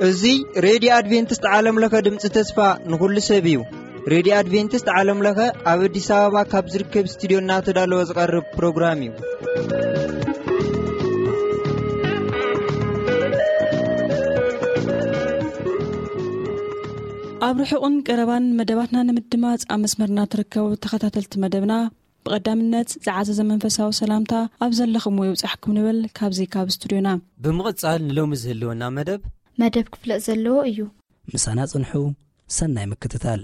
እዚ ሬድዮ ኣድቬንቲስት ዓለም ለኸ ድምፂ ተስፋ ንኹሉ ሰብ እዩ። ሬድዮ ኣድቬንቲስት ዓለም ለኸ ኣብ ኣዲስ ኣበባ ካብ ዝርከብ ስቱዲዮ እናተዳለወ ዝቐርብ ፕሮግራም እዩ። ኣብ ርሑቕን ቀረባን መደባትና ንምድማፅ ኣብ መስመርና ትርከቡ ተኸታተልቲ መደብና፣ ብቐዳምነት ዝዓዘዘ መንፈሳዊ ሰላምታ ኣብ ዘለኹምዎ ይብጻሕኩም ንብል ካብዚ ካብ ስቱድዮና። ብምቕጻል ንሎሚ ዝህልወና መደብ መደብ ክፍለጥ ዘለዎ እዩ። ምሳና ጽንሑ፣ ሰናይ ምክትታል።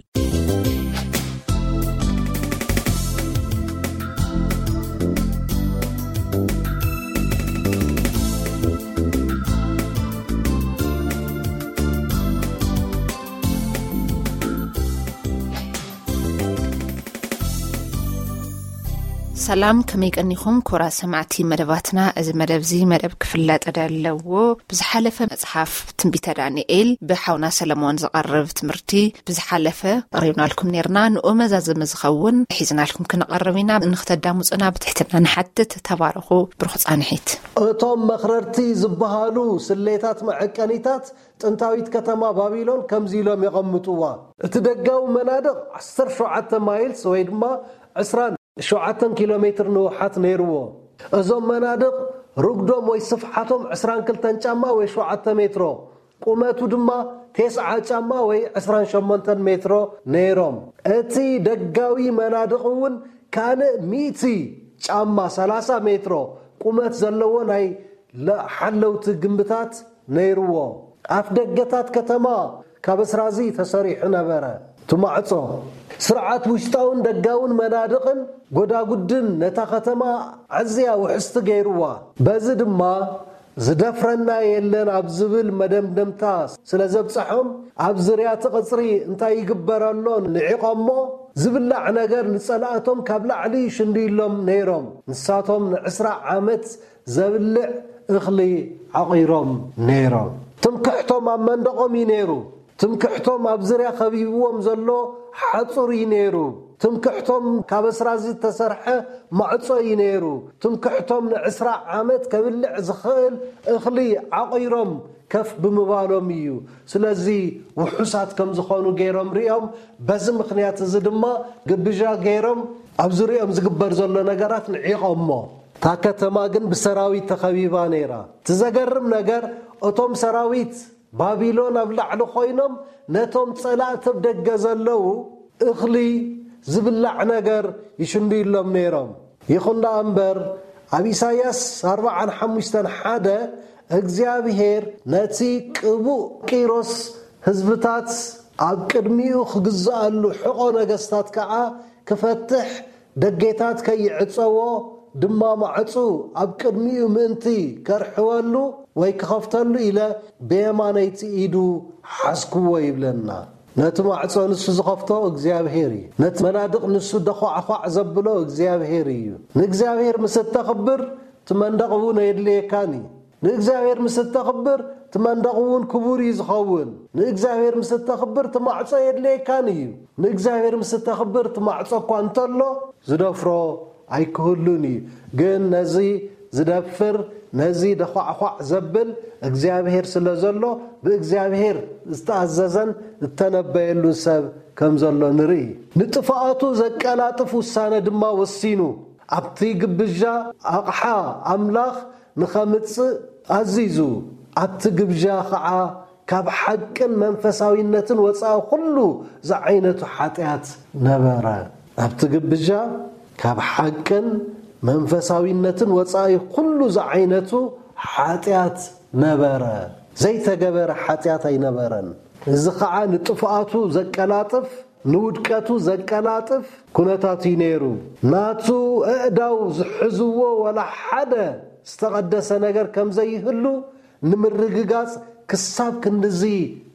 ሰላም፣ ከመይ ቀኒኹም ክቡራት ሰማዕቲ መደባትና? እዚ መደብ እዚ መደብ ክፍለጥ ዘለዎ ብዝሓለፈ መጽሓፍ ትንቢተ ዳንኤል ብሓውና ሰለሞን ዝቐርብ ትምህርቲ ብዝሓለፈ ኣቕሪብናልኩም ኔርና። ንኡ መዛዘሚ ዝኸውን ሒዝናልኩም ክንቐርብ ኢና። ንክተዳምጹና ብትሕትና ንሓትት። ተባረኹ። ብሩኽ ጻንሒት። እቶም መኽረርቲ ዝበሃሉ ስሌታት መዐቀኒታት ጥንታዊት ከተማ ባቢሎን ከምዚ ኢሎም የቐምጥዋ። እቲ ደጋዊ መናድቕ ዓሰርተ ሸውዓተ ማይልስ ወይ ድማ ዕስራን ሸውዓተን ኪሎ ሜትር ንውሓት ነይርዎ። እዞም መናድቕ ርጉዶም ወይ ስፍሓቶም ዕስራን ክልተን ጫማ ወይ ሸውዓተ ሜትሮ፣ ቁመቱ ድማ ተስዓ ጫማ ወይ ዕስራን ሸሞንተን ሜትሮ ነይሮም። እቲ ደጋዊ መናድቕ እውን ካልእ ሚእቲ ጫማ፣ ሰላሳ ሜትሮ፣ ቁመት ዘለዎ ናይ ለ-፣ ሓለውቲ ግንብታት ነይርዎ። ኣፍ ደገታት ከተማ ካብ እስራዚ ተሰሪሑ ነበረ። እቲ ማዕጾ፣ ስርዓት ውሽጣውን ደጋውን መናድቕን ጎዳጉድን ነታ ከተማ ኣዝያ ውሕስቲ ገይርዋ። በዚ ድማ ዝደፍረና የለን ኣብ ዝብል መደምደምታ ስለ ዘብጽሖም፣ ኣብ ዙርያ እቲ ቐጽሪ እንታይ ይግበር ኣሎ ንዒቖሞ፣ ዝብላዕ ነገር ንጸላእቶም ካብ ላዕሊ ይሽንድዩሎም ነይሮም። ንሳቶም ንዕስራ ዓመት ዘብልዕ እኽሊ ዓቒሮም ነይሮም። ትምክሕቶም ኣብ መንደቖም እዩ ነይሩ። ትምክሕቶም ኣብ ዙርያ ኸቢብዎም ዘሎ ሓጹር እዩ ነይሩ። ትምክሕቶም ካብ ኣስራዚ ዝተሰርሐ ማዕጾ እዩ ነይሩ። ትምክሕቶም ንዕስራ ዓመት ከብልዕ ዝኽእል እኽሊ ዓቒሮም ከፍ ብምባሎም እዩ። ስለዚ ውሑሳት ከም ዝኾኑ ገይሮም ሪኦም፣ በዚ ምኽንያት እዚ ድማ ግብዣ ገይሮም ኣብ ዙሪኦም ዝግበር ዘሎ ነገራት ንዒቖሞ። እታ ከተማ ግን ብሰራዊት ተኸቢባ ነይራ። እቲ ዘገርም ነገር፣ እቶም ሰራዊት ባቢሎን ኣብ ላዕሊ ኮይኖም ነቶም ጸላእቲ ኣብ ደገ ዘለዉ እኽሊ ዝብላዕ ነገር ይሽንድዩሎም ነይሮም። ይኹን ደኣ እምበር፣ ኣብ ኢሳይያስ ኣርብዓን ሓሙሽተን ሓደ እግዚኣብሄር ነቲ ቅቡእ ቂሮስ ህዝብታት ኣብ ቅድሚኡ ክግዝኣሉ ሕቖ ነገስታት ከኣ ክፈትሕ ደጌታት ከይዕጸዎ ድማ ማዕጹ ኣብ ቅድሚኡ ምእንቲ ከርሕወሉ ወይ ክኸፍተሉ ኢለ ብየማነይቲ ኢዱ ሓዝክዎ ይብለና። ነቲ ማዕጾ ንሱ ዝኸፍቶ እግዚኣብሄር እዩ። ነቲ መናድቕ ንሱ ደዃዕዃዕ ዘብሎ እግዚኣብሄር እዩ። ንእግዚኣብሄር ምስ እተኽብር እቲ መንደቕ እውን ኣየድልየካን እዩ። ንእግዚኣብሔር ምስ እተኽብር፣ እቲ መንደቕ እውን ክቡር እዩ ዝኸውን። ንእግዚኣብሔር ምስ እተኽብር፣ እቲ ማዕጾ የድልየካን እዩ። ንእግዚኣብሔር ምስ እተኽብር፣ እቲ ማዕጾ እኳ እንተሎ፣ ዝደፍሮ ኣይክህሉን እዩ። ግን ነዚ ዝደፍር፣ ነዚ ደዃዕዃዕ ዘብል እግዚኣብሔር ስለ ዘሎ፣ ብእግዚኣብሔር ዝተኣዘዘን ዝተነበየሉን ሰብ ከም ዘሎ ንርኢ። ንጥፍኣቱ ዘቀላጥፍ ውሳነ ድማ ወሲኑ። ኣብቲ ግብዣ ኣቕሓ ኣምላኽ ንኸምጽእ ኣዚዙ፣ ኣብቲ ግብዣ ኸዓ ካብ ሓቅን መንፈሳዊነትን ወጻኢ ኹሉ ዝዓይነቱ ሓጢኣት ነበረ። ኣብቲ ግብዣ ካብ ሓቅን መንፈሳዊነትን ወጻኢ ኹሉ ዝዓይነቱ ሓጢኣት ነበረ። ዘይተገበረ ሓጢኣት ኣይነበረን። እዚ ኸዓ ንጥፍኣቱ ዘቀላጥፍ፣ ንውድቀቱ ዘቀላጥፍ ኩነታት እዩ ነይሩ። ናቱ ኣእዳው ዝሕዝዎ ወላ ሓደ ዝተቐደሰ ነገር ከም ዘይህሉ ንምርግጋጽ ክሳብ ክንድዚ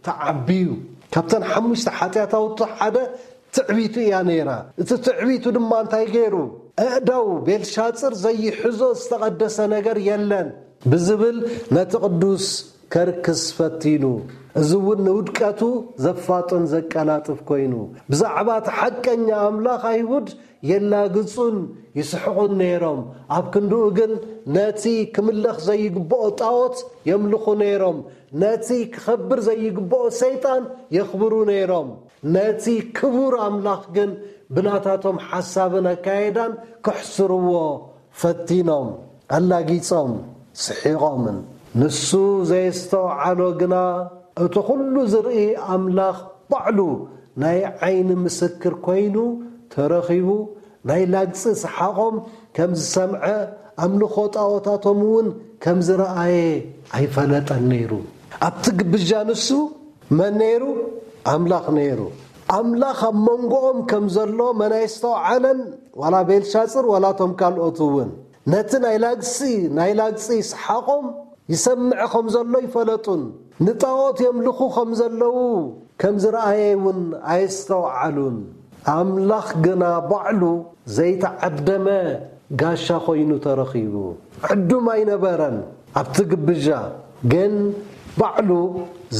ተዓብዩ። ካብተን ሓሙሽተ ሓጢኣታውቱ ሓደ ትዕቢቱ እያ ነይራ። እቲ ትዕቢቱ ድማ እንታይ ገይሩ? ኣእዳው ቤልሻጽር ዘይሕዞ ዝተቐደሰ ነገር የለን ብዝብል ነቲ ቅዱስ ከርክስ ፈቲኑ። እዚ እውን ንውድቀቱ ዘፋጥን ዘቀላጥፍ ኮይኑ። ብዛዕባ እቲ ሓቀኛ ኣምላኽ ኣይሁድ የላግጹን ይስሕቑን ነይሮም። ኣብ ክንድኡ ግን ነቲ ክምለኽ ዘይግብኦ ጣዖት የምልኹ ነይሮም። ነቲ ክኸብር ዘይግብኦ ሰይጣን የኽብሩ ነይሮም። ነቲ ክቡር ኣምላኽ ግን ብናታቶም ሓሳብን ኣካየዳን ክሕስርዎ ፈቲኖም፣ ኣላጊጾም፣ ስሒቖምን። ንሱ ዘየስተውዓሎ ግና እቲ ኩሉ ዝርኢ ኣምላኽ ባዕሉ ናይ ዓይኒ ምስክር ኮይኑ ተረኺቡ፣ ናይ ላግጺ ሰሓቖም ከም ዝሰምዐ፣ ኣምልኾ ጣዖታቶም እውን ከም ዝረኣየ ኣይፈለጠን ነይሩ። ኣብቲ ግብዣ ንሱ መን ነይሩ? ኣምላኽ ነይሩ። ኣምላኽ ኣብ መንጎኦም ከም ዘሎ መን ኣየስተውዓለን? ዋላ ቤልሻጽር ዋላ እቶም ካልኦት እውን። ነቲ ናይ ላግጺ፣ ናይ ላግጺ ሰሓቖም ይሰምዕ ከም ዘሎ ይፈለጡን፣ ንጣዖት የምልኹ ከም ዘለዉ ከም ዝረኣየ እውን ኣየስተውዓሉን። ኣምላኽ ግና ባዕሉ ዘይተዓደመ ጋሻ ኮይኑ ተረኺቡ። ዕዱም ኣይነበረን ኣብቲ ግብዣ፣ ግን ባዕሉ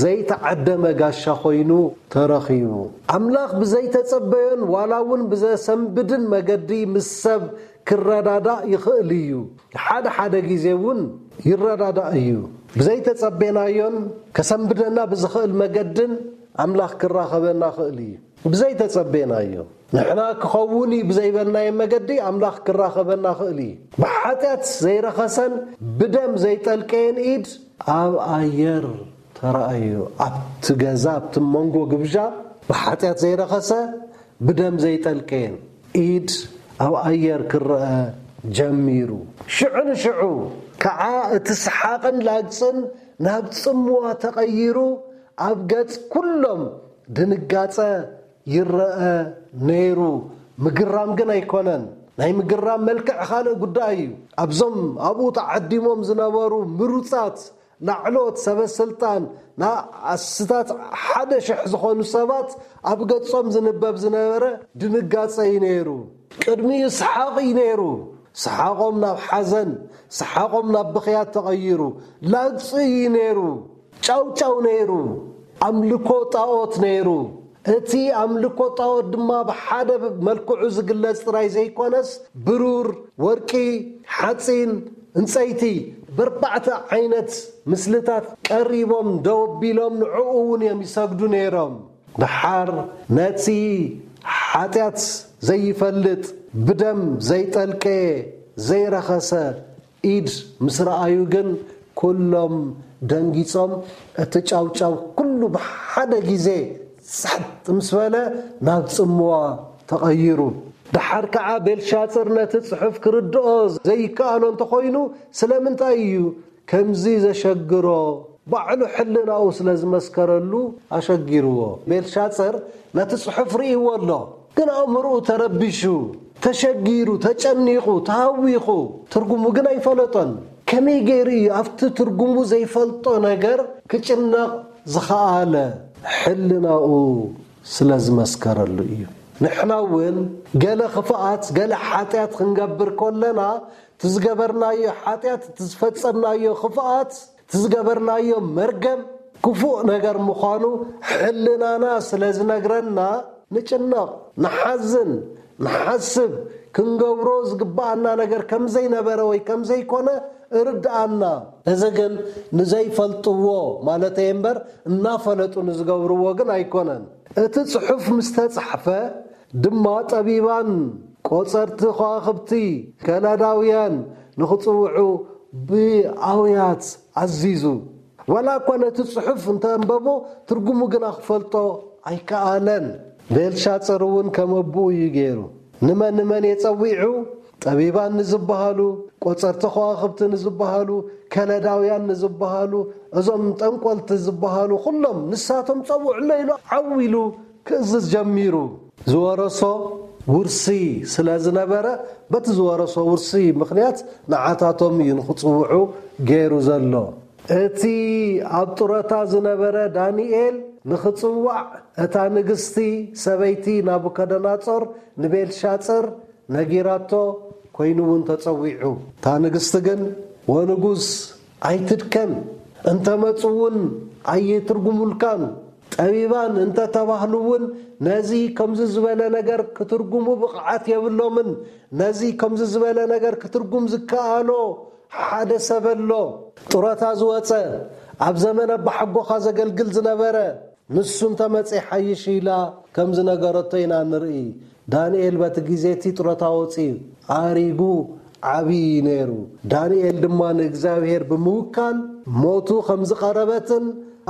ዘይተዓደመ ጋሻ ኮይኑ ተረኺቡ። ኣምላኽ ብዘይተጸበዮን ዋላ እውን ብዘሰንብድን መገዲ ምስ ሰብ ክረዳዳእ ይኽእል እዩ። ሓደ ሓደ ግዜ እውን ይረዳዳእ እዩ። ብዘይተጸቤናዮን ከሰንብደና ብዝኽእል መገድን ኣምላኽ ክራኸበና ይኽእል እዩ። ብዘይተጸቤናዮ፣ ንሕና ክኸውን እዩ ብዘይበልናዮ መገዲ ኣምላኽ ክራኸበና ይኽእል እዩ። ብሓጢኣት ዘይረኸሰን ብደም ዘይጠልቀየን ኢድ ኣብ ኣየር ተራእዩ። ኣብቲ ገዛ፣ ኣብቲ መንጎ ግብዣ ብሓጢኣት ዘይረኸሰ፣ ብደም ዘይጠልቀየን ኢድ ኣብ ኣየር ክረአ ጀሚሩ። ሽዑ ንሽዑ ከዓ እቲ ሰሓቕን ላግጽን ናብ ጽምዋ ተቐይሩ፣ ኣብ ገጽ ኩሎም ድንጋጸ ይረአ ነይሩ። ምግራም ግን ኣይኮነን። ናይ ምግራም መልክዕ ካልእ ጉዳይ እዩ። ኣብዞም ኣብኡ ተዓዲሞም ዝነበሩ ምሩጻት ላዕሎት ሰበ ስልጣን፣ ንኣስታት ሓደ ሽሕ ዝኾኑ ሰባት ኣብ ገጾም ዝንበብ ዝነበረ ድንጋጸ እዩ ነይሩ። ቅድሚኡ ሰሓቕ እዩ ነይሩ። ሰሓቖም ናብ ሓዘን፣ ሰሓቖም ናብ ብኽያት ተቐይሩ። ላግጺ እዩ ነይሩ። ጫውጫው ነይሩ። ኣምልኮ ጣዖት ነይሩ። እቲ ኣምልኮ ጣዖት ድማ ብሓደ መልክዑ ዝግለጽ ጥራይ ዘይኮነስ፣ ብሩር፣ ወርቂ፣ ሓጺን፣ ዕንጸይቲ፣ በርባዕተ ዓይነት ምስልታት ቀሪቦም ደው ኣቢሎም ንዕኡ እውን እዮም ይሰግዱ ነይሮም። ደሓር ነቲ ሓጢኣት ዘይፈልጥ፣ ብደም ዘይጠልቀየ፣ ዘይረኸሰ ኢድ ምስ ረኣዩ ግን፣ ኩሎም ደንጊጾም፣ እቲ ጫውጫው ኩሉ ብሓደ ግዜ ጸጥ ምስ በለ፣ ናብ ጽምዋ ተቐይሩ። ደሓር ከኣ ቤልሻጽር ነቲ ጽሑፍ ክርድኦ ዘይከኣሎ እንተኾይኑ፣ ስለምንታይ እዩ ከምዚ ዘሸግሮ? ባዕሉ ሕልናኡ ስለ ዝመስከረሉ ኣሸጊርዎ። ቤልሻጽር ነቲ ጽሑፍ ርእይዎ ኣሎ፣ ግን ኣእምሮኡ ተረቢሹ፣ ተሸጊሩ፣ ተጨኒቑ፣ ተሃዊኹ፣ ትርጉሙ ግን ኣይፈለጦን። ከመይ ገይሩ እዩ ኣብቲ ትርጉሙ ዘይፈልጦ ነገር ክጭነቕ ዝኸኣለ? ሕልናኡ ስለ ዝመስከረሉ እዩ። ንሕና እውን ገለ ክፍኣት፣ ገለ ሓጢኣት ክንገብር ከለና፣ እቲ ዝገበርናዮ ሓጢኣት፣ እቲ ዝፈጸምናዮ ክፍኣት፣ እቲ ዝገበርናዮ መርገም ክፉእ ነገር ምዃኑ ሕልናና ስለ ዝነግረና፣ ንጭነቕ፣ ንሓዝን፣ ንሓስብ፣ ክንገብሮ ዝግብኣና ነገር ከም ዘይነበረ ወይ ከም ዘይኮነ እርድኣና። እዚ ግን ንዘይፈልጥዎ ማለተይ እምበር፣ እናፈለጡ ንዝገብርዎ ግን ኣይኮነን። እቲ ጽሑፍ ምስ ተጻሕፈ ድማ፣ ጠቢባን ቆጸርቲ ከዋኽብቲ ከላዳውያን ንኽጽውዑ ብኣውያት ኣዚዙ። ዋላ እኳ ነቲ ጽሑፍ እንተኣንበቦ፣ ትርጉሙ ግና ክፈልጦ ኣይከኣለን። ቤልሻጽር እውን ከም ኣቦኡ እዩ ገይሩ። ንመን ንመን እየ ጸዊዑ? ጠቢባን ንዝበሃሉ፣ ቆጸርቲ ከዋኽብቲ ንዝበሃሉ፣ ከለዳውያን ንዝበሃሉ፣ እዞም ጠንቆልቲ ዝበሃሉ ኩሎም ንሳቶም ጸውዕሎ ኢሉ ዓው ኢሉ ክእዝዝ ጀሚሩ። ዝወረሶ ውርሲ ስለ ዝነበረ፣ በቲ ዝወረሶ ውርሲ ምኽንያት ንዓታቶም እዩ ንኽጽውዑ ገይሩ ዘሎ። እቲ ኣብ ጡረታ ዝነበረ ዳንኤል ንኽጽዋዕ፣ እታ ንግስቲ ሰበይቲ ናቡከደናጾር ንቤልሻጽር ነጊራቶ፣ ኮይኑ እውን ተጸዊዑ። እታ ንግስቲ ግን፣ "ወንጉስ፣ ኣይትድከም፣ እንተመጹ እውን ኣይትርጉሙልካን። ጠቢባን እንተተባህሉ እውን ነዚ ከምዚ ዝበለ ነገር ክትርጉሙ ብቕዓት የብሎምን። ነዚ ከምዚ ዝበለ ነገር ክትርጉም ዝከኣሎ ሓደ ሰብ ኣሎ። ጡረታ ዝወጸ፣ ኣብ ዘመን ኣባሓጎኻ ዘገልግል ዝነበረ፣ ንሱ እንተመጸ ይሓይሽ ኢላ ከም ዝነገረቶ ኢና ንርኢ። ዳንኤል በቲ ግዜ እቲ ጡረታ ወጺኡ ኣሪጉ ዓብዪ ነይሩ። ዳንኤል ድማ ንእግዚኣብሔር ብምውካል ሞቱ ከም ዝቐረበትን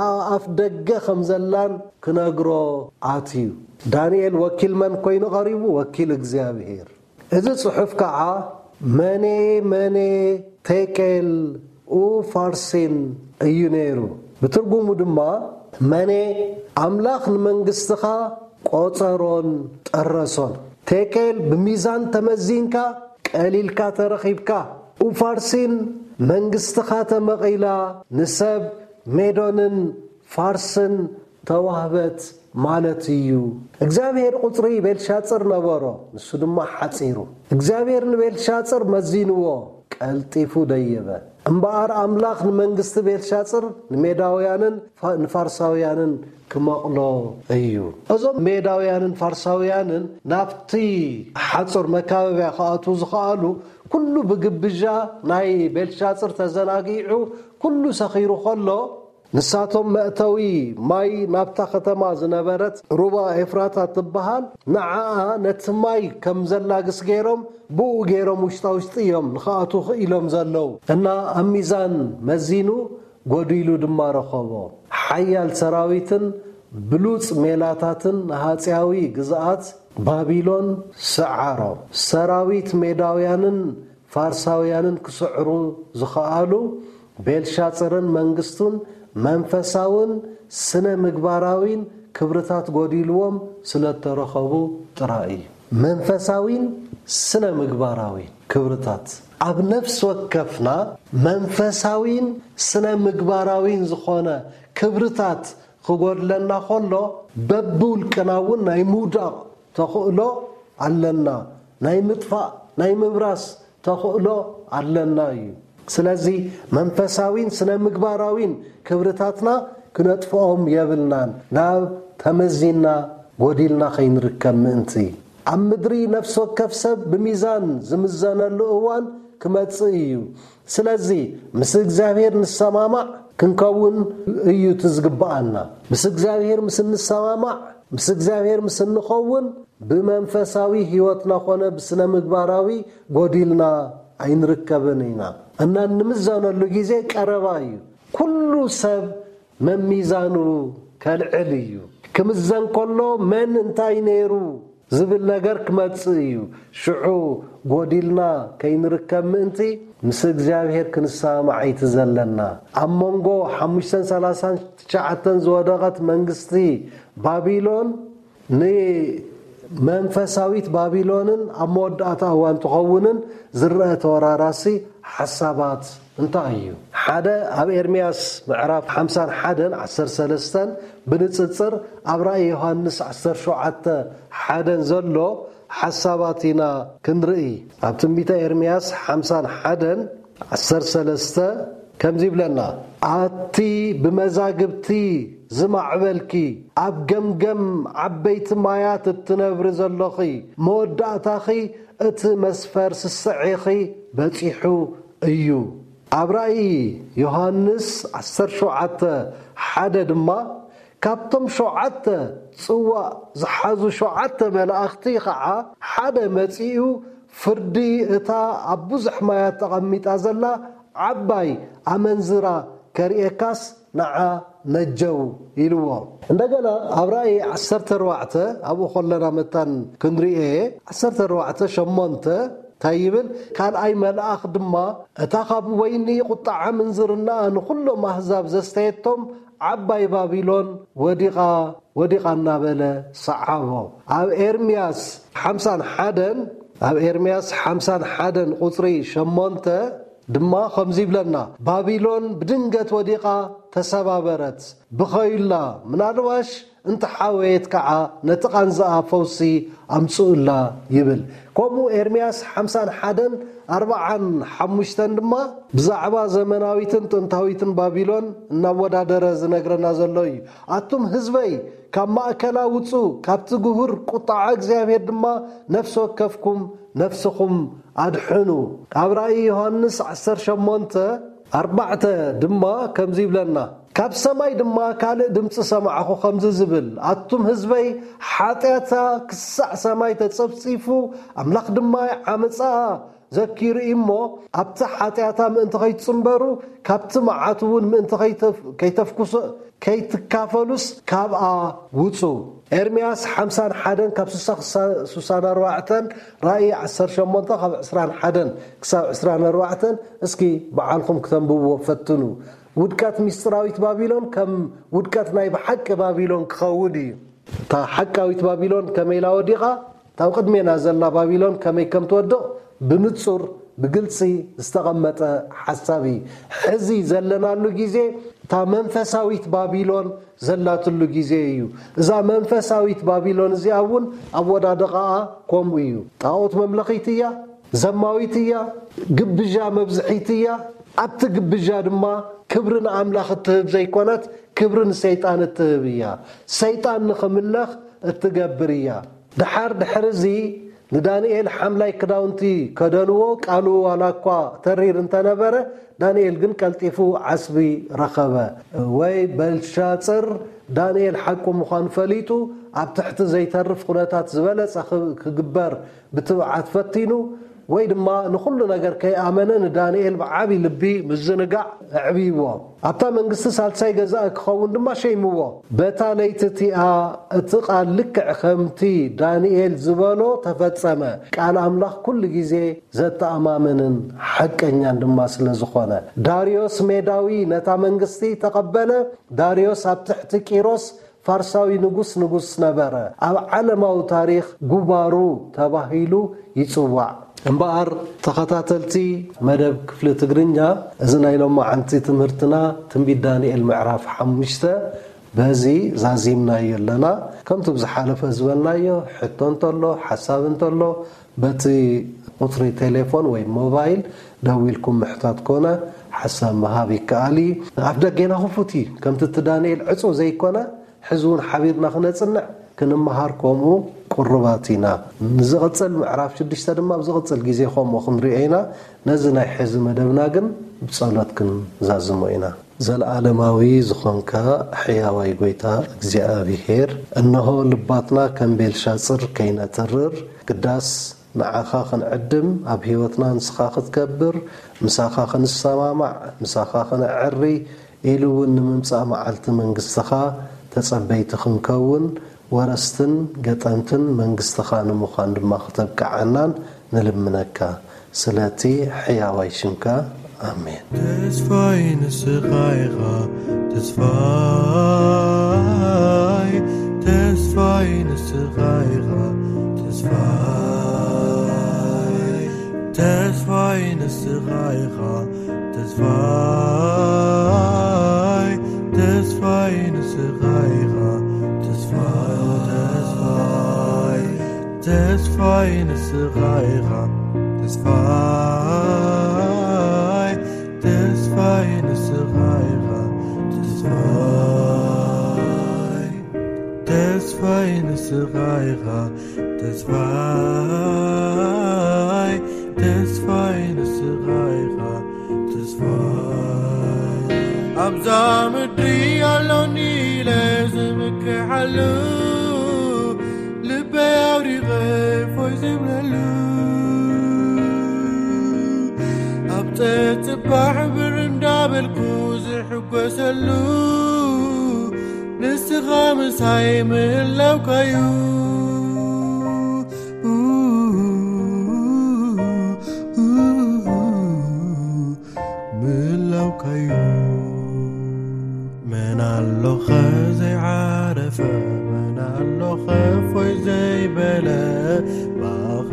ኣብ ኣፍ ደገ ከም ዘላን ክነግሮ ኣትዩ። ዳንኤል ወኪል መን ኮይኑ ቀሪቡ? ወኪል እግዚኣብሔር። እዚ ጽሑፍ ከዓ መኔ መኔ ቴቄል ኡፋርሲን እዩ ነይሩ። ብትርጉሙ ድማ መኔ ኣምላኽ ንመንግስትኻ ቆጸሮን ጠረሶን። ቴቄል ብሚዛን ተመዚንካ ቀሊልካ ተረኺብካ። ኡፋርሲን መንግስትኻ ተመቒላ ንሰብ ሜዶንን ፋርስን ተዋህበት ማለት እዩ። እግዚኣብሔር ቁጽሪ ቤልሻጽር ነበሮ፣ ንሱ ድማ ሓጺሩ። እግዚኣብሔር ንቤልሻጽር መዚንዎ፣ ቀልጢፉ ደየበ። እምበኣር ኣምላኽ ንመንግስቲ ቤልሻጽር ንሜዳውያንን ፋ-፣ ንፋርሳውያንን ክመቕሎ እዩ። እዞም ሜዳውያንን ፋርሳውያንን ናብቲ ሓጹር መካበብያ ክኣትዉ ዝኸኣሉ፣ ኩሉ ብግብዣ ናይ ቤልሻጽር ተዘናጊዑ፣ ኩሉ ሰኺሩ ከሎ፣ ንሳቶም መእተዊ ማይ ናብታ ከተማ ዝነበረት ሩባ ኤፍራታ ትበሃል፣ ንዓኣ ነቲ ማይ ከም ዘላግስ ገይሮም፣ ብኡ ገይሮም ውሽጣ ውሽጢ እዮም ንኽኣትዉ ክኢሎም ዘለዉ። እና ኣብ ሚዛን መዚኑ፣ ጎዲሉ ድማ ረኸቦ። ሓያል ሰራዊትን ብሉጽ ሜላታትን ንሃጽያዊ ግዝኣት ባቢሎን ሰዓሮ። ሰራዊት ሜዳውያንን ፋርሳውያንን ክስዕሩ ዝኸኣሉ ቤልሻጽርን መንግስቱን መንፈሳውን ስነ ምግባራዊን ክብርታት ጎዲልዎም ስለተረኸቡ ጥራይ እዩ። መንፈሳዊን ስነ ምግባራዊን ክብርታት። ኣብ ነፍሲ ወከፍና መንፈሳዊን ስነ ምግባራዊን ዝኾነ ክብርታት ክጎድለና ከሎ፣ በብውልቅና እውን ናይ ምውዳቕ ተኽእሎ ኣለና። ናይ ምጥፋእ፣ ናይ ምብራስ ተኽእሎ ኣለና እዩ። ስለዚ መንፈሳዊን ስነ ምግባራዊን ክብርታትና ክነጥፍኦም የብልናን፣ ናብ ተመዚና ጎዲልና ከይንርከብ ምእንቲ። ኣብ ምድሪ ነፍሲ ወከፍ ሰብ ብሚዛን ዝምዘነሉ እዋን ክመጽእ እዩ። ስለዚ ምስ እግዚኣብሔር ንሰማማዕ ክንከውን እዩ እቲ ዝግብኣና። ምስ እግዚኣብሔር ምስ እንሰማማዕ፣ ምስ እግዚኣብሔር ምስ እንኸውን፣ ብመንፈሳዊ ህይወትና ኾነ ብስነ ምግባራዊ ጎዲልና ኣይንርከብን ኢና። እና እንምዘነሉ ግዜ ቀረባ እዩ። ኩሉ ሰብ መሚዛኑ ከልዕል እዩ። ክምዘን ከሎ መን እንታይ ነይሩ ዝብል ነገር ክመጽእ እዩ። ሽዑ ጎዲልና ከይንርከብ ምእንቲ ምስ እግዚኣብሔር ክንሰማማዕ እዩ እቲ ዘለና። ኣብ መንጎ ሓሙሽተን ሰላሳን ትሽዓተን ዝወደቐት መንግስቲ ባቢሎን ንመንፈሳዊት ባቢሎንን ኣብ መወዳእታ እዋን ትኸውንን ዝረአ ተወራራሲ ሓሳባት እንታይ እዩ? ሓደ፣ ኣብ ኤርምያስ ምዕራፍ ሓምሳን ሓደን ዓሰርተ ሰለስተን ብንጽጽር ኣብ ራእይ ዮሃንስ ዓሰርተ ሸውዓተ ሓደን ዘሎ ሓሳባት ኢና ክንርኢ። ኣብ ትንቢተ ኤርምያስ ሓምሳን ሓደን ዓሰርተ ሰለስተ ከምዚ ይብለና፣ ኣቲ ብመዛግብቲ ዝማዕበልኪ፣ ኣብ ገምገም ዓበይቲ ማያት እትነብሪ ዘሎኺ፣ መወዳእታኺ እቲ መስፈር ስስዔኺ በጺሑ እዩ። ኣብ ራእይ ዮሃንስ ዓሰርተ ሸውዓተ ሓደ ድማ፣ ካብቶም ሸውዓተ ጽዋእ ዝሓዙ ሸውዓተ መላእኽቲ ኸዓ ሓደ መጺኡ፣ ፍርዲ እታ ኣብ ብዙሕ ማያት ተቐሚጣ ዘላ ዓባይ ኣመንዝራ ከርእየካስ ንዓ ነጀው ኢልዎ። እንደገና ኣብ ራእይ ዓሰርተ ኣርባዕተ፣ ኣብኡ ከለና መታን ክንርእየ፣ ዓሰርተ ኣርባዕተ ሸሞንተ እንታይ ይብል? ካልኣይ መልኣኽ ድማ፣ እታ ካብ ወይኒ ቁጥዓ ምንዝርናኣ ንኹሎም ኣህዛብ ዘስተየቶም ዓባይ ባቢሎን ወዲቓ፣ ወዲቓ እናበለ ሰዓቦ። ኣብ ኤርምያስ ሓምሳን ሓደን፣ ኣብ ኤርምያስ ሓምሳን ሓደን ቁጽሪ ሸሞንተ ድማ ከምዚ ይብለና፣ ባቢሎን ብድንገት ወዲቓ ተሰባበረት፣ ብኸዩላ፣ ምናልባሽ እንተሓወየት ከዓ ነቲ ቃንዛኣ ፈውሲ ኣምጽኡላ ይብል። ከምኡ ኤርምያስ ሓምሳን ሓደን ኣርብዓን ሓሙሽተን ድማ ብዛዕባ ዘመናዊትን ጥንታዊትን ባቢሎን እናወዳደረ ዝነግረና ዘሎ እዩ። ኣቱም ህዝበይ፣ ካብ ማእከላ ውጹ፣ ካብቲ ግሁር ቁጣዓ እግዚኣብሔር ድማ ነፍሲ ወከፍኩም ነፍስኹም ኣድሕኑ። ኣብ ራእይ ዮሃንስ ዓሰርተ ሸሞንተ ኣርባዕተ ድማ ከምዚ ይብለና፣ ካብ ሰማይ ድማ ካልእ ድምፂ ሰማዕኹ ከምዚ ዝብል፣ ኣቱም ህዝበይ፣ ሓጢኣታ ክሳዕ ሰማይ ተጸፍጺፉ፣ ኣምላኽ ድማ ዓመፃኣ ዘኪሩ እዩ እሞ፣ ኣብቲ ሓጢኣታ ምእንቲ ከይትጽንበሩ፣ ካብቲ መዓት እውን ምእንቲ ከይተፍ- ከይተፍኩሶ ከይትካፈሉስ ካብኣ ውጹ። ኤርምያስ ሓምሳን ሓደን ካብ ስሳ ክሳ- ስሳን ኣርባዕተን፣ ራእይ ዓሰርተ ሸሞንተ ካብ ዕስራን ሓደን ክሳብ ዕስራን ኣርባዕተን፣ እስኪ በዓልኹም ክተንብብዎ ፈትኑ። ውድቀት ሚስጥራዊት ባቢሎን ከም ውድቀት ናይ ብሓቂ ባቢሎን ክኸውን እዩ። እታ ሓቃዊት ባቢሎን ከመይ ኢላ ወዲቓ፣ እታ ኣብ ቅድሜና ዘላ ባቢሎን ከመይ ከም ትወድቕ ብንጹር ብግልጺ ዝተቐመጠ ሓሳብ እዩ። ሕዚ ዘለናሉ ግዜ እታ መንፈሳዊት ባቢሎን ዘላትሉ ግዜ እዩ። እዛ መንፈሳዊት ባቢሎን እዚኣ እውን ኣወዳድቓኣ ከምኡ እዩ። ጣዖት መምለኺት እያ፣ ዘማዊት እያ፣ ግብዣ መብዝሒት እያ። ኣብቲ ግብዣ ድማ ክብሪ ንኣምላኽ እትህብ ዘይኮነት፣ ክብሪ ንሰይጣን እትህብ እያ። ሰይጣን ንኽምለኽ እትገብር እያ። ደሓር ድሕሪ እዚ ንዳንኤል ሓምላይ ክዳውንቲ ከደንዎ፣ ቃሉ ዋላ እኳ ተሪር እንተነበረ፣ ዳንኤል ግን ቀልጢፉ ዓስቢ ረኸበ። ወይ በልሻጽር ዳንኤል ሓቁ ምዃኑ ፈሊጡ፣ ኣብ ትሕቲ ዘይተርፍ ኩነታት ዝበለጸ ክብ- ክግበር ብትብዓት ፈቲኑ፣ ወይ ድማ ንኹሉ ነገር ከይኣመነ ንዳንኤል ብዓቢ ልቢ ምዝንጋዕ ኣዕብይዎ። ኣብታ መንግስቲ ሳልሳይ ገዛኢ ክኸውን ድማ ሸይምዎ። በታ ለይቲ እቲኣ እቲ ቃል ልክዕ ከምቲ ዳንኤል ዝበሎ ተፈጸመ። ቃል ኣምላኽ ኩሉ ግዜ ዘተኣማምንን ሓቀኛን ድማ ስለ ዝኾነ፣ ዳርዮስ ሜዳዊ ነታ መንግስቲ ተቐበለ። ዳርዮስ ኣብ ትሕቲ ቂሮስ ፋርሳዊ ንጉስ ንጉስ ነበረ። ኣብ ዓለማዊ ታሪኽ ጉባሩ ተባሂሉ ይጽዋዕ። እምበኣር ተኸታተልቲ መደብ ክፍሊ ትግርኛ፣ እዚ ናይ ሎማዓንቲ ትምህርትና ትንቢት ዳንኤል ምዕራፍ ሓሙሽተ በዚ ዛዚምናዮ ኣለና። ከምቲ ብዝሓለፈ ዝበልናዮ፣ ሕቶ እንተሎ፣ ሓሳብ እንተሎ፣ በቲ ቁጽሪ ቴሌፎን ወይ ሞባይል ደዊልኩም ምሕታት ኮነ ሓሳብ ምሃብ ይከኣል እዩ። ኣፍ ደጌና ክፉት እዩ። ከምቲ እቲ ዳንኤል ዕጹው ዘይኮነ፣ ሕዚ እውን ሓቢርና ክነጽንዕ፣ ክንመሃር ከምኡ ቅሩባት ኢና። ንዝቕጽል ምዕራፍ ሽዱሽተ ድማ ኣብ ዝቕጽል ግዜ ከምኡ ክንሪኦ ኢና። ነዚ ናይ ሕዚ መደብና ግን ብጸሎት ክንዛዝሞ ኢና። ዘለዓለማዊ ዝኾንካ ሕያዋይ ጎይታ እግዚኣብሔር፣ እነሆ ልባትና ከም ቤልሻጽር ከይነትርር፣ ግዳስ ንዓኻ ክንዕድም፣ ኣብ ህይወትና ንስኻ ክትከብር፣ ምሳኻ ክንሰማማዕ፣ ምሳኻ ክነዐሪ፣ ኢሉ እውን ንምምጻእ መዓልቲ መንግስትኻ ተጸበይቲ ክንከውን፣ ወረስትን ገጠምትን መንግስትኻ ንምዃን ድማ ክተብቅዓናን ንልምነካ። ስለቲ ሕያዋይ ሽምካ፣ ኣሜን። ተስፋይ ንስኻ ኢኻ፣ ተስፋይ፣ ተስፋይ ንስኻ ኢኻ፣ ተስፋይ፣ ተስፋይ ንስኻ ኢኻ፣ ተስፋይ፣ ተስፋይ ንስኻ ኢኻ፣ ተስፋይ፣ ተስፋይ፣ ተስፋይ ንስኻ ኢኻ፣ ተስፋይ፣ ተስፋይ ንስኻ ኢኻ፣ ተስፋይ፣ ተስፋይ ንስኻ ኢኻ፣ ተስፋይ፣ ተስፋይ ንስኻ ኢኻ፣ ተስፋይ። ኣብዛ ምድሪ ኣሎኒ ኢለ ዝምክሓሉ፣ ልበይ ኣውዲቐ እፎይ ዝብለሉ፣ ኣብ ጸጽባሕ ብር እንዳበልኩ ዝሕጎሰሉ፣ ንስኻ ምሳይ ምህላውካዩ። ምህላውካዩ። መን ኣሎኸ ዘይዓረፈ፣ መን ኣሎኸ እፎይ ዘይበለ ብኣኻ?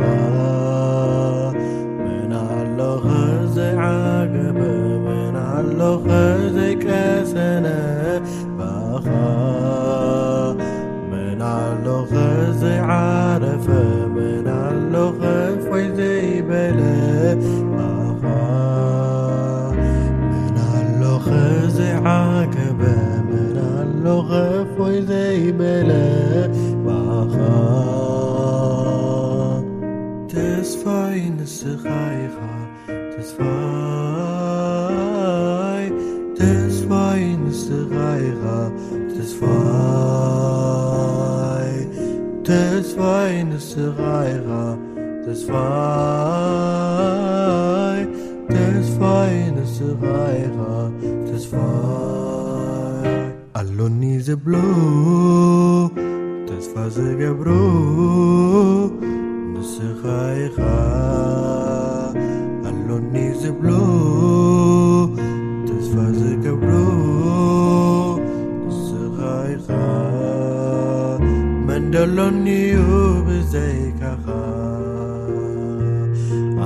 መን ኣሎኸ ዘይዓገበ፣ መን ኣሎኸ ዘይቀሰነ ብኣኻ? ተስፋይ ንስኻ ኢኻ ተስፋይ፣ ተስፋይ ንስኻ ኢኻ ተስፋይ፣ ተስፋይ ንስኻ ኢኻ ተስፋይ፣ ተስፋይ ንስኻ ኢኻ ተስፋይ። ኣሎኒ ዝብሎ ተስፋ ዝገብሮ ንስኻ ኢኻ። ኣሎኒ ዝብሎ ተስፋ ዝገብሮ ንስኻ ኢኻ። መን ደሎኒ እዩ ብዘይካኻ?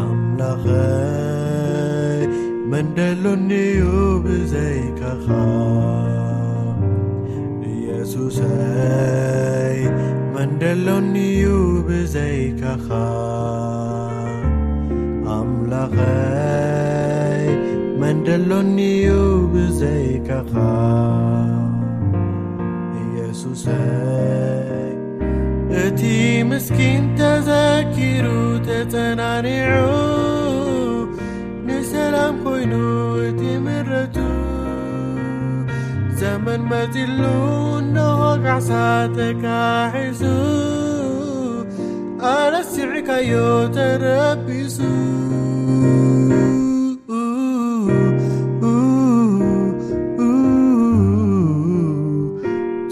ኣምላኸይ መን ደሎኒ እዩ ብዘይካኻ? ኢየሱሰይ መን ደሎኒ እዩ ብዘይካኻ? ኣምላኸይ መን ደሎኒ እዩ ብዘይካኻ? ኢየሱሰይ እቲ ምስኪን ተዘኪሩ ተጸናኒዑ፣ ንሰላም ኮይኑ እቲ ምረቱ። ዘመን መጺሉ እነሆ ካሕሳ ተካሒሱ፣ ኣረሲዕካዮ ተረቢሱ።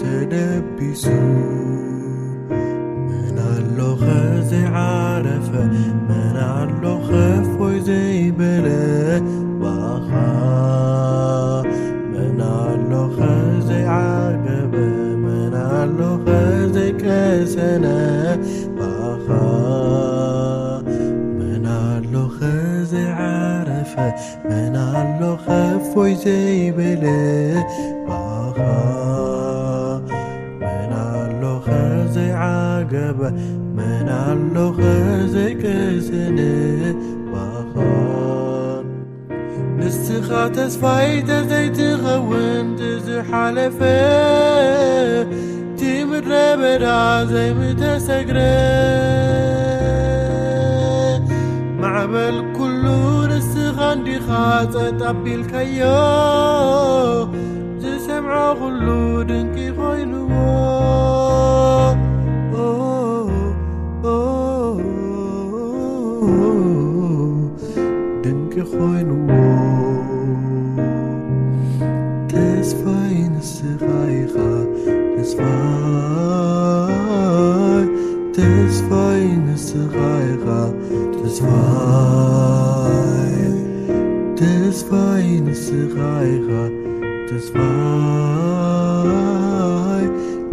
ተደቢሱ። መን ኣሎኸ ዘይዓረፈ? መን ኣሎኸ እፎይ ዘይበለ ብኣኻ? መን ኣሎኸ ዘይዓገበ? መን ኣሎኸ ዘይቀሰነ ብኣኻ? መን ኣሎኸ ዘይዓረፈ? መን ኣሎኸ እፎይ ዘይበለ ብኣኻ? መን ኣሎኸ ዘይዓገበ? መን ኣሎኸ ዘይቀሰነ ብኣኻ? ንስኻ ተስፋይ ተዘይትኸውን፣ ዝሓለፈ እቲ ምድረ በዳ ዘይምተሰግረ፣ ማዕበል ኩሉ ንስኻ እንዲኻ ጸጥ ኣቢልካዮ። ዝሰምዖ ኩሉ ድንቂ ኮይንዎ። ድንቂ ኮይንዎ። ተስፋይ ንስኻ ኢኻ ተስፋይ፣ ተስፋይ ንስኻ ኢኻ ተስፋይ፣ ተስፋይ ንስኻ ኢኻ ተስፋይ፣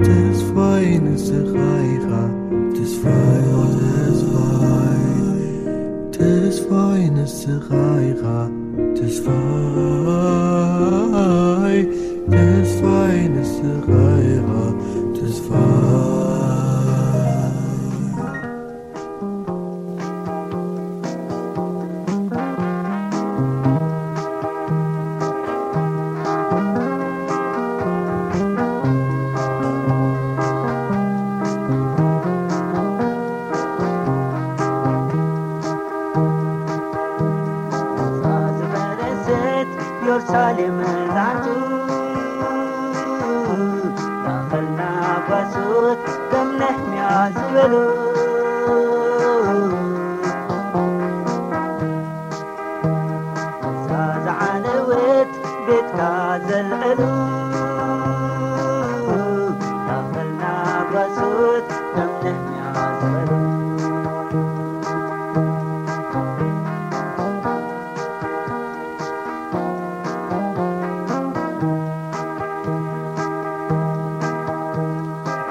ተስፋይ ንስኻ ኢኻ ተስፋይ፣ ተስፋይ፣ ተስፋይ ንስኻ ኢኻ ተስፋይ፣ ተስፋይ ንስኻ ኢኻ ተስፋይ። ዝፈረሰት ኢየሩሳሌም ዛንቱ ማእኸልና ጓሶት ከም ነህምያ ዝበሉ። እዛ ዝዓነወት ቤትካ ዘልዕሉ ማእኸልና ጓሶት ከም ነህምያ ዝበሉ።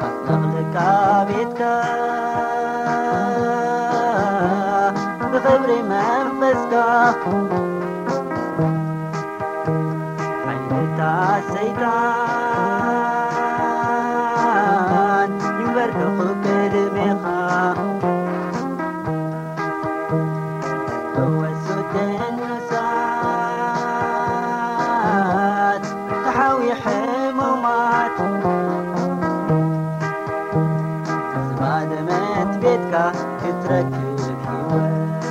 ኣጥለቕልቃ ቤትካ ብኽብሪ መንፈስካ፣ ሓይልታት ሰይጣን ይንበርከኹ ቅድሜኻ። ፈወሱ ቅዱሳት ተሓዊ ሕሙማት፣ ዝባደመት ቤትካ ክትረክብ ህይወት።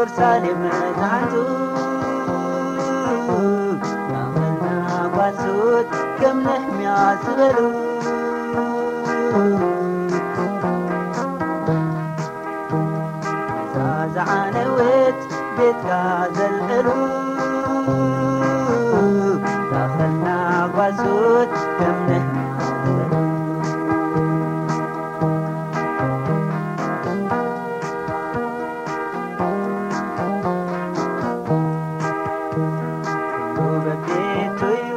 ኢየሩሳሌም መዛንቱ ናኸልና ጓሶት ከም ነህምያ ዝበሉ እዛ ዝዓነወት ቤትካ ዘልዕሉ ናኸልና ጓሶት ከም ነህምያ ዝበሉ ኩሉ በቤቱ እዩ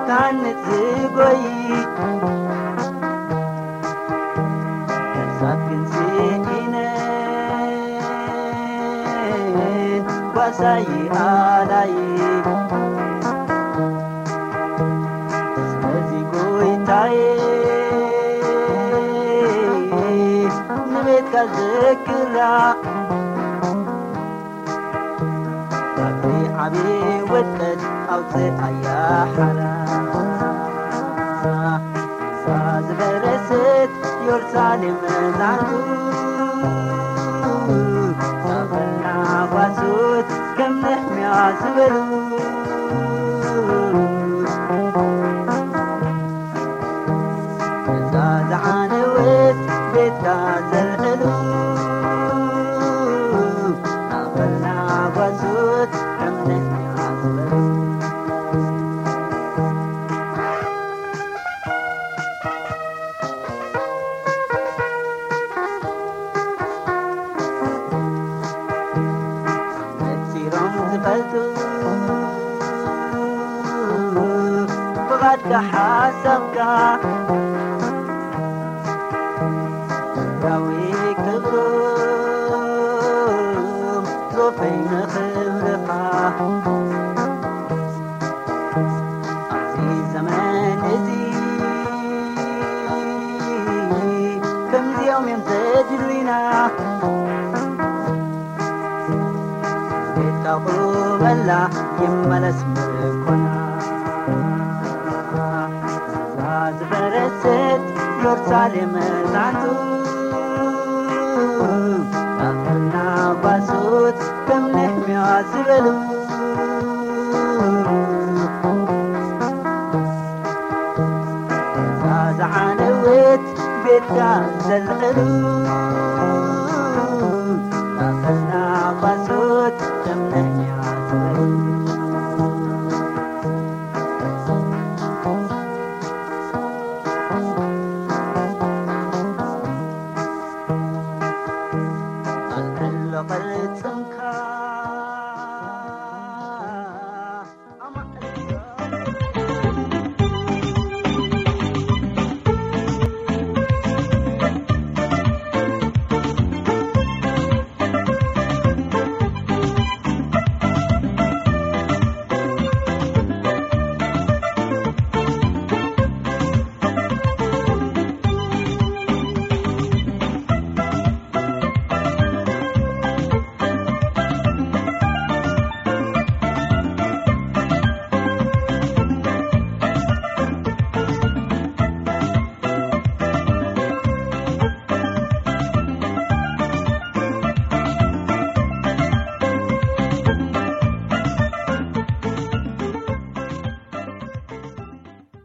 ታንጽ ዝጎይ ነፍሳት ግን ስኢነን ጓሳይ ኣላይ ስለዚ ጎይታዬ ንቤትካ ዘክራ ካብቲ ዓቢ ውድቀት ኣውፅኣያ ሓራ እዛ ዝበረሰት ኢየሩሳሌም መዛንቱ ሳፈና ጓሶት ከም ነህምያ ዝበሉ እዛ ዝዓነወት ቤትካ ዘልዕሉ ናኸልና ጓሶት ከም ነህምያ ዝበሉ ነጺሮም ዝፈልጡ ብቓድካ ሓሳብካ ዳዊ ክብሮም ዞፈይ ንኽብርኻ ኣብዚ ዘመን እዚ ከምዚኦም እዮም ዘድሉና ቤትካ ቁመላ ይመለስ ምርኮና እዛ ዝበረሰት ኢየሩሳሌም ዛንቱ ናኸልና ጓሶት ከም ነህምያ ዝበሉ እዛ ዝዓነወት ቤትካ ዘልዕሉ